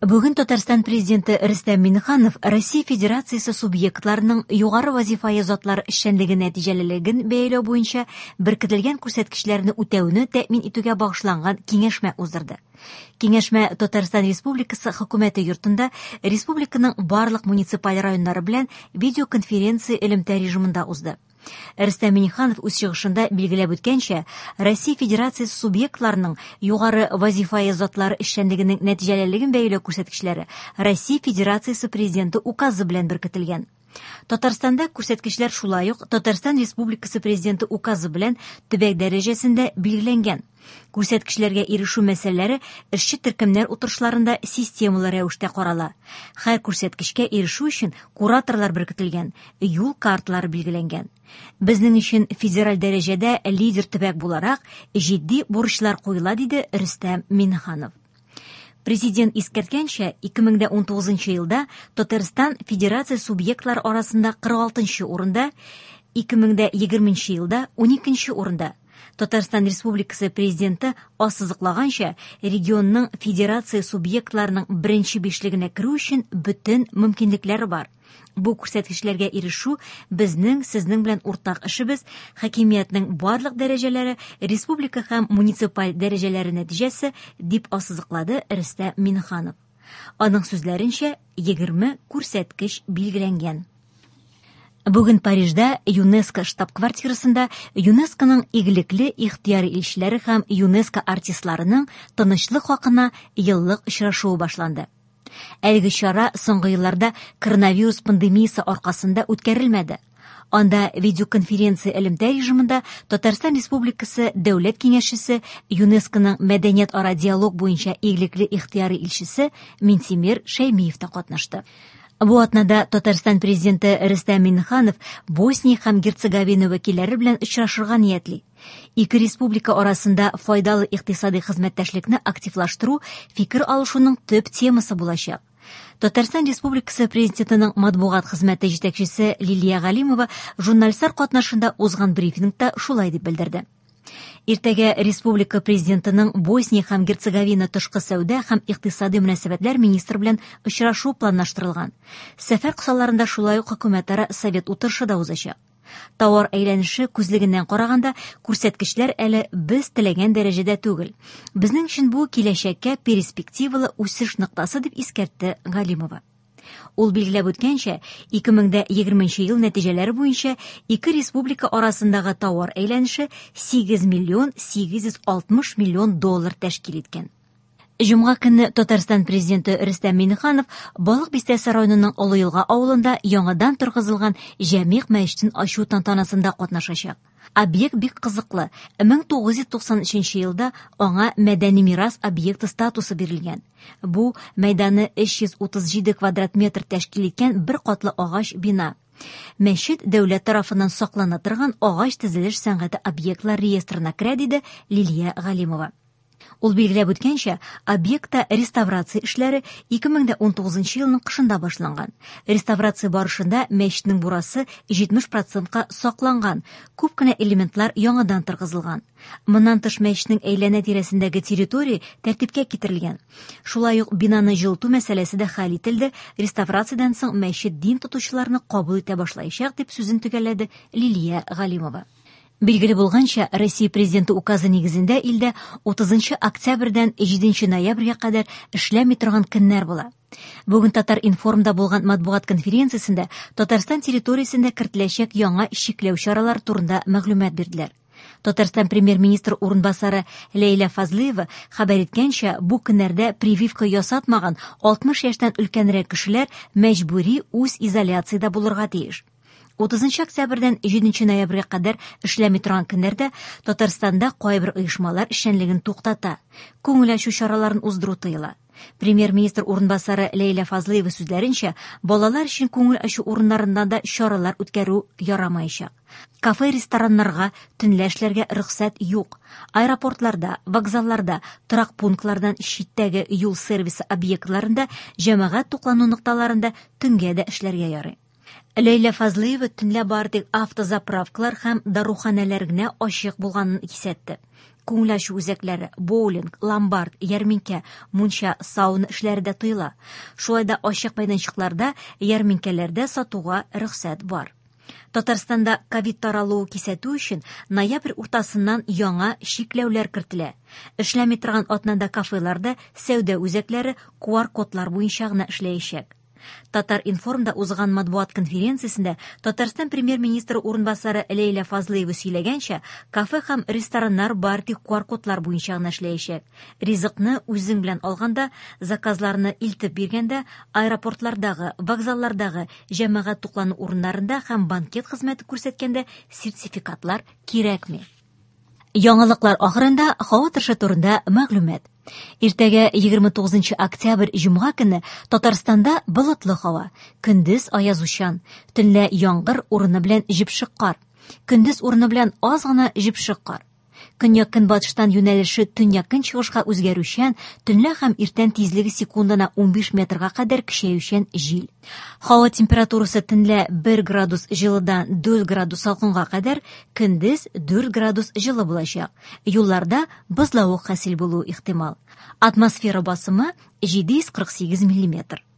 Бүген Татарстан Президенты Рөстәм Миңнеханов Россия Федерациясе субъектларының югары вазифаи затлар эшчәнлеге нәтиҗәлелеген бәяләү буенча беркетелгән күрсәткечләрне үтәүне тәэмин итүгә багышланган киңәшмә уздырды. Киңәшмә Татарстан Республикасы Хөкүмәте йортында республиканың барлык муниципаль районнары белән видеоконференция элемтә режимында узды. Рөстәм Миңнеханов үз чыгышында билгеләп үткәнчә, Россия Федерациясе субъектларының югары вазифаи затлары эшчәнлегенең нәтиҗәлелеген бәяләү күрсәткечләре Россия Федерациясе Президенты указы белән беркетелгән. Татарстанда күрсәткечләр шулай ук Татарстан Республикасы Президенты указы белән төбәк дәрәҗәсендә билгеләнгән. Күрсәткечләргә ирешү мәсьәләләре эшче төркемнәр утырышларында системалы рәвештә карала. Һәр күрсәткечкә ирешү өчен кураторлар беркетелгән, юл карталары билгеләнгән. Безнең өчен федераль дәрәҗәдә лидер төбәк буларак җитди бурычлар куела, диде Рөстәм Миңнеханов. Президент искәрткәнчә, 2019 елда Татарстан федерация субъектлары арасында 46 урында, 2020 елда 12 урында. Татарстан Республикасы Президенты ассызыклаганча, регионның федерация субъектларының беренче бишлегенә керү өчен бөтен мөмкинлекләре бар. Бу күрсәткечләргә ирешү безнең сезнең белән уртак эшебез, хакимиятнең барлык дәрәҗәләре, республика һәм муниципаль дәрәҗәләре нәтиҗәсе, дип ассызыклады Рөстәм Миңнеханов. Аның сүзләренчә, 20 күрсәткеч билгеләнгән. Бүген Парижда ЮНЕСКО штаб-квартирасында ЮНЕСКОның игелекле ихтыяри илчеләре һәм ЮНЕСКО артистларының тынычлык хакына еллык очрашуы башланды. Әлеге чара соңгы елларда коронавирус пандемиясе аркасында үткәрелмәде. Анда видеоконференция элемтә режимында Татарстан Республикасы Дәүләт Киңәшчесе, ЮНЕСКОның мәдәният-ара диалог буенча игелекле ихтыяри илчесе Минтимер Шәймиев та катнашты. Бу атнада Татарстан президенты Рөстәм Миңнеханов Босния һәм Герцеговина вәкилләре белән очрашырга ниятли. Ике республика арасында файдалы икътисади хезмәттәшлекне активлаштыру фикер алышуның төп темасы булачак. Татарстан Республикасы Президентының матбугат хезмәте җитәкчесе Лилия Галимова журналистлар катнашында узган брифингта шулай дип белдерде. Иртәгә республика президентының Босния һәм Герцеговина тышкы сәүдә һәм икътисади мөнәсәбәтләр министры белән очрашу планлаштырылган. Сәфәр кысаларында шулай ук хөкүмәтара совет утырышы да узачак. Тауар әйләнеше күзлегеннән караганда, күрсәткечләр әле без теләгән дәрәҗәдә түгел. Безнең өчен бу киләчәккә перспективалы үсеш ноктасы, дип искәртте Галимова. Ул билгеләп үткәнчә, 2020 ел нәтиҗәләре буенча ике республика арасындагы тауар әйләнеше 8 миллион 860 миллион доллар тәшкил иткән. Җомга көнне Татарстан президенты Рөстәм Миңнеханов Балык Бистәсе районының Олы Елга авылында яңадан торгызылган Җәмигъ мәчетен ачу тантанасында катнашачак. Объект бик кызыклы. 1993 елда аңа мәдәни мирас объекты статусы бирелгән. Бу мәйданы 337 квадрат метр тәшкил иткән бер катлы агач бина. Мәчет дәүләт тарафыннан саклана торган агач төзелеш сәнгате объектлар реестрына керә, диде Лилия Галимова. Ул билгеләп үткәнчә, объектта реставрация эшләре 2019 елның кышында башланган. Реставрация барышында мәчетнең бурасы 70 процентка сакланган, күп кенә элементлар яңадан торгызылган. Моннан тыш мәчетнең әйләнә-тирәсендәге территория тәртипкә китерелгән. Шулай ук бинаны җылыту мәсьәләсе дә хәл ителде, реставрациядән соң мәчет дин тотучыларны кабул итә башлаячак, дип сүзен төгәлләде Лилия Галимова. Билгеле булганча, Россия Президенты указы нигезендә илдә 30 октябрьдән 7 ноябрьгә кадәр эшләми торган көннәр була. Бүген Татар-информда булган матбугат конференциясендә Татарстан территориясендә кертеләчәк яңа чикләү чаралары турында мәгълүмат бирделәр. Татарстан премьер-министр урынбасары Ләйлә Фазлыева хәбәр иткәнчә, бу көннәрдә прививка ясатмаган 60 яшьтән өлкәнрәк кешеләр мәҗбүри үз изоляциядә булырга тиеш. 30 октябрьдән 7 ноябрьгә кадәр эшләми торган көннәрдә Татарстанда кайбер оешмалар эшчәнлеген туктата, күңел ачу чараларын уздыру тыела. Премьер-министр урынбасары Ләйлә Фазлыева сүзләренчә, балалар өчен күңел ачу урыннарында да чаралар үткәрү ярамаячак. Кафе-рестораннарга төнлә эшләргә рөхсәт юк. Аэропортларда, вокзалларда, торак пунктлардан читтәге юл сервисы объектларында, җәмәгать туклану нокталарында төнгә дә эшләргә ярый. Ләйлә Фазлыева төнлә бары тик автозаправкалар һәм даруханәләр генә ачык булганын кисәтте. Күңел ачу үзәкләре, боулинг, ломбард, ярминкә, мунча, сауна эшләре дә тыела. Шулай да ачык мәйданчыкларда, ярминкәләрдә сатуга рөхсәт бар. Татарстанда ковид таралуы кисәтү өчен ноябрь уртасыннан яңа чикләүләр кертелә. Эшләми торган атнада кафелар да, сәүдә үзәкләре QR-кодлар буенча гына эшләячәк. Татар-информда узган матбугат конференциясендә Татарстан премьер-министры урынбасары Ләйлә Фазлыева сөйләгәнчә, кафе һәм рестораннар бары тик QR-кодлар буенча гына эшләячәк. Ризыкны үзең белән алганда, заказларны илтеп биргәндә, аэропортлардагы, вокзаллардагы, җәмәгать туклану урыннарында һәм банкет хезмәте күрсәткәндә сертификатлар кирәкми. Яңалыклар ахырында һава торышы турында мәгълүмат. Иртәгә 29 октябрь җомга көне Татарстанда болытлы һава, көндез аязучан, төнлә яңгыр урыны белән җепшек кар. Көндез урыны белән аз гына җепшек кар. Көньяк-көнбатыштан юнәлеше төньяк-көнчыгышка үзгәрүчән, төнлә һәм иртән тизлеге секундына 15 метрга кадәр көчәючән җил. Һава температурасы төнлә 1 градус җылыдан 4 градус салкынга кадәр, көндез 4 градус җылы булачак. Юлларда бозлавык хасил булуы ихтимал. Атмосфера басымы 748 миллиметр.